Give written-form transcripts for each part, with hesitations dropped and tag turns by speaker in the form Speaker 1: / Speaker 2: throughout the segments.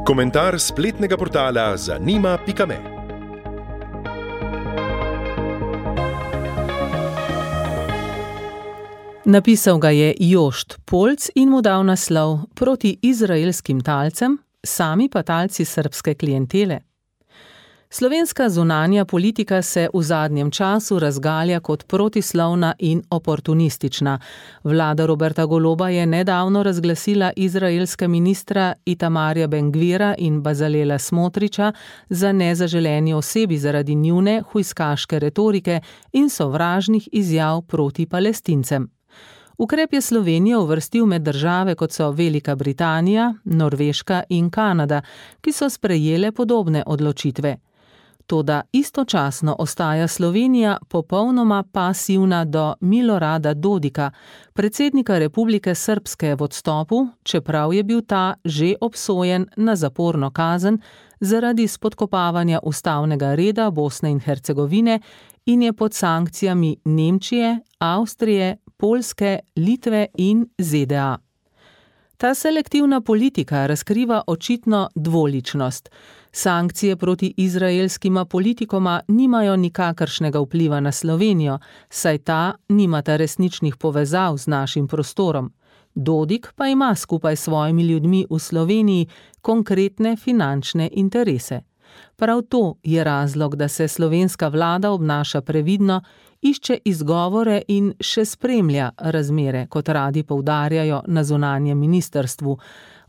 Speaker 1: Komentar spletnega portala zanima.me.
Speaker 2: Napisal ga je Jošt Polc in mu dal naslov Proti izraelskim talcem, sami pa talci srbske klientele. Slovenska zunanja politika se v zadnjem času razgalja kot protislovna in oportunistična. Vlada Roberta Goloba je nedavno razglasila izraelska ministra Itamarja Ben-Gvira in Bazalela Smotriča za nezaželeni osebi zaradi njune hujskaške retorike in sovražnih izjav proti Palestincem. Ukrep je Slovenijo uvrstil med države, kot so Velika Britanija, Norveška in Kanada, ki so sprejele podobne odločitve. Toda istočasno ostaja Slovenija popolnoma pasivna do Milorada Dodika, predsednika Republike Srbske v odstopu, čeprav je bil ta že obsojen na zaporno kazen zaradi spodkopavanja ustavnega reda Bosne in Hercegovine in je pod sankcijami Nemčije, Avstrije, Poljske, Litve in ZDA. Ta selektivna politika razkriva očitno dvoličnost. Sankcije proti izraelskima politikoma nimajo nikakršnega vpliva na Slovenijo, saj ta nimata resničnih povezav z našim prostorom. Dodik pa ima skupaj s svojimi ljudmi v Sloveniji konkretne finančne interese. Prav to je razlog, da se slovenska vlada obnaša previdno, išče izgovore in še spremlja razmere, kot radi poudarjajo na zunanjem ministrstvu.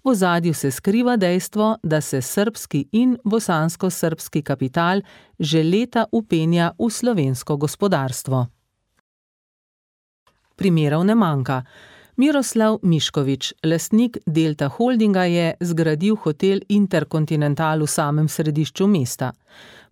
Speaker 2: V ozadju se skriva dejstvo, da se srbski in bosansko-srbski kapital že leta vpenja v slovensko gospodarstvo. Primerov ne manjka. Miroslav Mišković, lastnik Delta Holdinga, je zgradil hotel Interkontinental v samem središču mesta.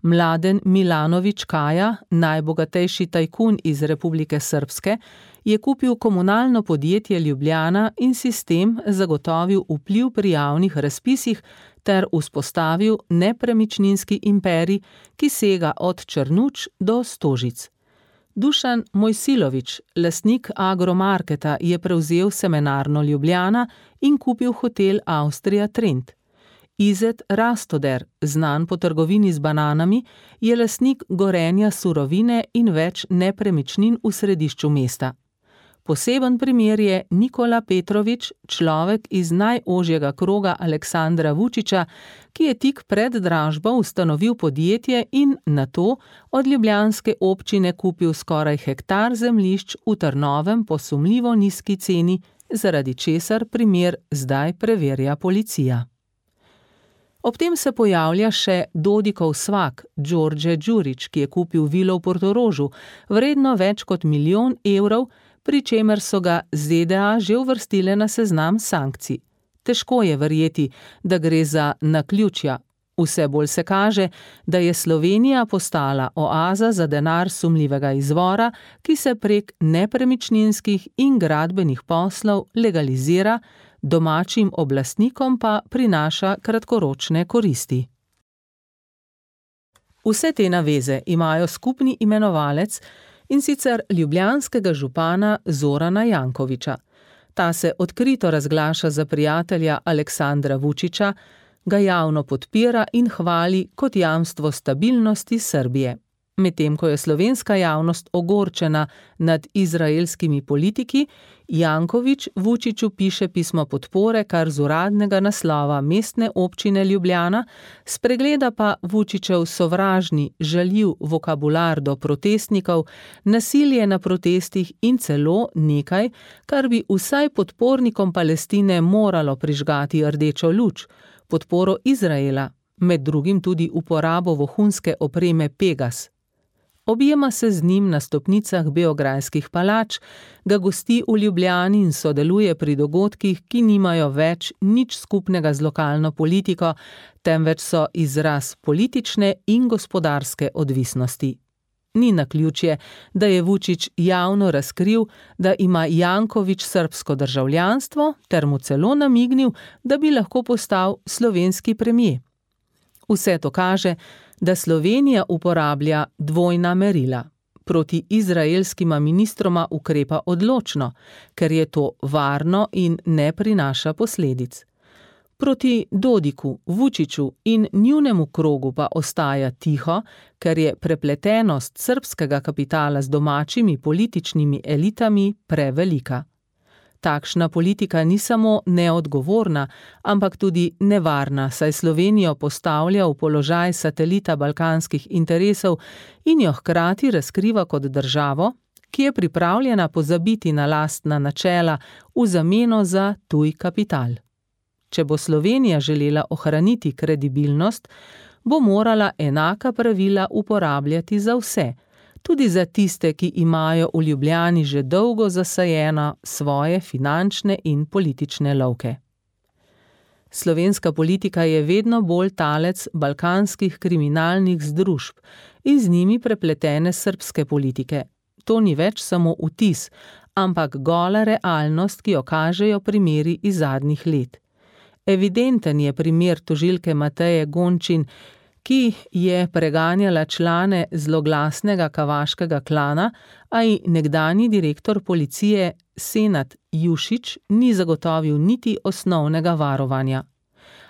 Speaker 2: Mladen Milanović Kaja, najbogatejši tajkun iz Republike Srbske, je kupil komunalno podjetje Ljubljana in si s tem zagotovil vpliv pri javnih razpisih ter vzpostavil nepremičninski imperij, ki sega od Črnuč do Stožic. Dušan Mojsilović, lastnik Agromarketa, je prevzel Semenarno Ljubljana in kupil hotel Avstrija Trend. Izet Rastoder, znan po trgovini z bananami, je lastnik Gorenja Surovine in več nepremičnin v središču mesta. Poseben primer je Nikola Petrović, človek iz najožjega kroga Aleksandra Vučića, ki je tik pred dražbo ustanovil podjetje in nato od ljubljanske občine kupil skoraj hektar zemljišč v Trnovem po sumljivo nizki ceni, zaradi česar primer zdaj preverja policija. Ob tem se pojavlja še Dodikov svak, Đorđe Đurić, ki je kupil vilo v Portorožu, vredno več kot 1 milijon evrov, pri čemer so ga ZDA že uvrstile na seznam sankcij. Težko je verjeti, da gre za naključja. Vse bolj se kaže, da je Slovenija postala oaza za denar sumljivega izvora, ki se prek nepremičninskih in gradbenih poslov legalizira, domačim oblastnikom pa prinaša kratkoročne koristi. Vse te naveze imajo skupni imenovalec, in sicer ljubljanskega župana Zorana Jankovića. Ta se odkrito razglaša za prijatelja Aleksandra Vučića, ga javno podpira in hvali kot jamstvo stabilnosti Srbije. Medtem ko je slovenska javnost ogorčena nad izraelskimi politiki, Janković Vučiću piše pismo podpore kar z uradnega naslova mestne občine Ljubljana, spregleda pa Vučićev sovražni, žaljiv vokabular do protestnikov, nasilje na protestih in celo nekaj, kar bi vsaj podpornikom Palestine moralo prižgati rdečo luč, podporo Izraela, med drugim tudi uporabo vohunske opreme Pegas. Objema se z njim na stopnicah beograjskih palač, ga gosti v Ljubljani in sodeluje pri dogodkih, ki nimajo več nič skupnega z lokalno politiko, temveč so izraz politične in gospodarske odvisnosti. Ni naključje, da je Vučić javno razkril, da ima Janković srbsko državljanstvo, ter mu celo namignil, da bi lahko postal slovenski premier. Vse to kaže, da Slovenija uporablja dvojna merila. Proti izraelskima ministroma ukrepa odločno, ker je to varno in ne prinaša posledic. Proti Dodiku, Vučiću in njunemu krogu pa ostaja tiho, ker je prepletenost srbskega kapitala z domačimi političnimi elitami prevelika. Takšna politika ni samo neodgovorna, ampak tudi nevarna, saj Slovenijo postavlja v položaj satelita balkanskih interesov in jo hkrati razkriva kot državo, ki je pripravljena pozabiti na lastna načela v zameno za tuj kapital. Če bo Slovenija želela ohraniti kredibilnost, bo morala enaka pravila uporabljati za vse, tudi za tiste, ki imajo v Ljubljani že dolgo zasajeno svoje finančne in politične lovke. Slovenska politika je vedno bolj talec balkanskih kriminalnih združb in z njimi prepletene srbske politike. To ni več samo vtis, ampak gola realnost, ki jo kažejo primeri iz zadnjih let. Evidenten je primer tožilke Mateje Gončin, ki je preganjala člane zloglasnega kavaškega klana, a ji nekdanji direktor policije Senad Jušić ni zagotovil niti osnovnega varovanja.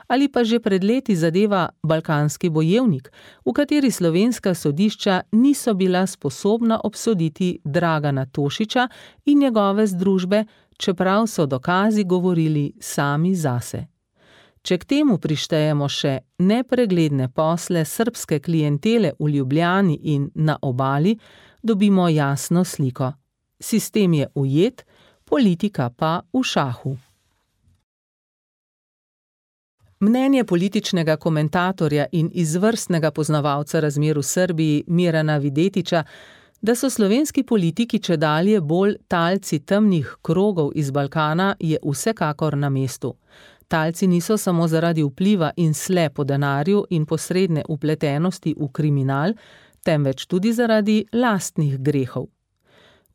Speaker 2: Ali pa že pred leti zadeva Balkanski bojevnik, v kateri slovenska sodišča niso bila sposobna obsoditi Dragana Tošića in njegove združbe, čeprav so dokazi govorili sami zase. Če k temu prištejemo še nepregledne posle srbske klientele v Ljubljani in na obali, dobimo jasno sliko. Sistem je ujet, politika pa v šahu. Mnenje političnega komentatorja in izvrstnega poznavalca razmer v Srbiji Mirana Videtića, da so slovenski politiki čedalje bolj talci temnih krogov iz Balkana, je vsekakor na mestu. Talci niso samo zaradi vpliva in sle po denarju in posredne vpletenosti v kriminal, temveč tudi zaradi lastnih grehov.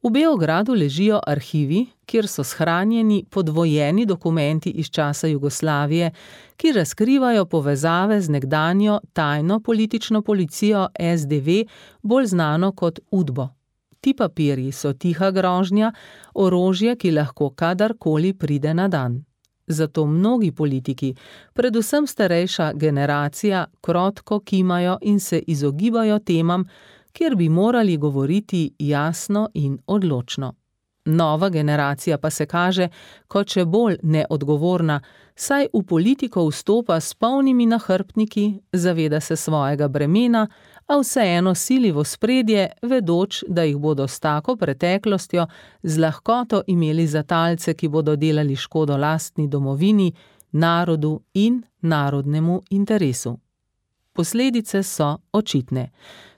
Speaker 2: V Beogradu ležijo arhivi, kjer so shranjeni podvojeni dokumenti iz časa Jugoslavije, ki razkrivajo povezave z nekdanjo tajno politično policijo SDV, bolj znano kot UDBO. Ti papirji so tiha grožnja, orožje, ki lahko kadarkoli pride na dan. Zato mnogi politiki, predvsem starejša generacija, krotko kimajo in se izogibajo temam, kjer bi morali govoriti jasno in odločno. Nova generacija pa se kaže kot še bolj neodgovorna, saj v politiko vstopa s polnimi nahrbtniki, zaveda se svojega bremena, a vseeno sili v ospredje, vedoč, da jih bodo s tako preteklostjo z lahkoto imeli za talce, ki bodo delali škodo lastni domovini, narodu in narodnemu interesu. Posledice so očitne.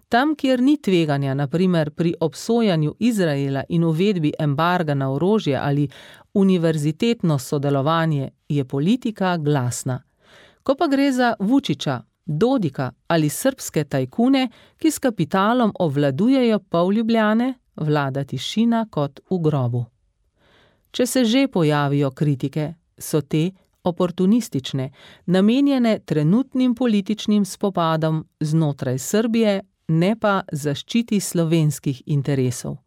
Speaker 2: Tam, kjer ni tveganja, na primer pri obsojanju Izraela in uvedbi embarga na orožje ali univerzitetno sodelovanje, je politika glasna. Ko pa gre za Vučića, Dodika ali srbske tajkune, ki s kapitalom ovladujejo pol Ljubljane, vlada tišina kot v grobu. Če se že pojavijo kritike, so te oportunistične, namenjene trenutnim političnim spopadom znotraj Srbije, ne pa zaščiti slovenskih interesov.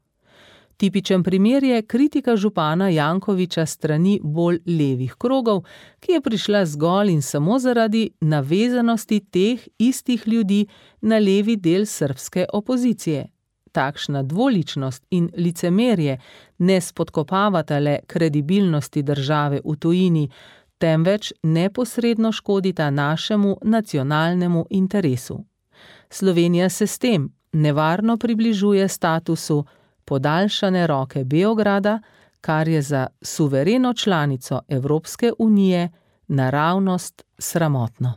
Speaker 2: Tipičen primer je kritika župana Jankovića strani bolj levih krogov, ki je prišla zgolj in samo zaradi navezanosti teh istih ljudi na levi del srbske opozicije. Takšna dvoličnost in licemerje ne spodkopavata le kredibilnosti države v tujini, temveč neposredno škodita našemu nacionalnemu interesu. Slovenija se s tem nevarno približuje statusu podaljšane roke Beograda, kar je za suvereno članico Evropske unije naravnost sramotno.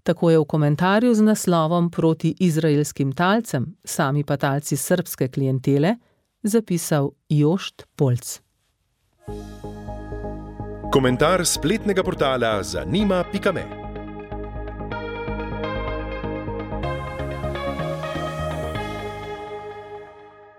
Speaker 2: Tako je v komentarju z naslovom Proti izraelskim talcem, sami pa talci srbske klientele, zapisal Jošt Polc.
Speaker 1: Komentar spletnega portala zanima.me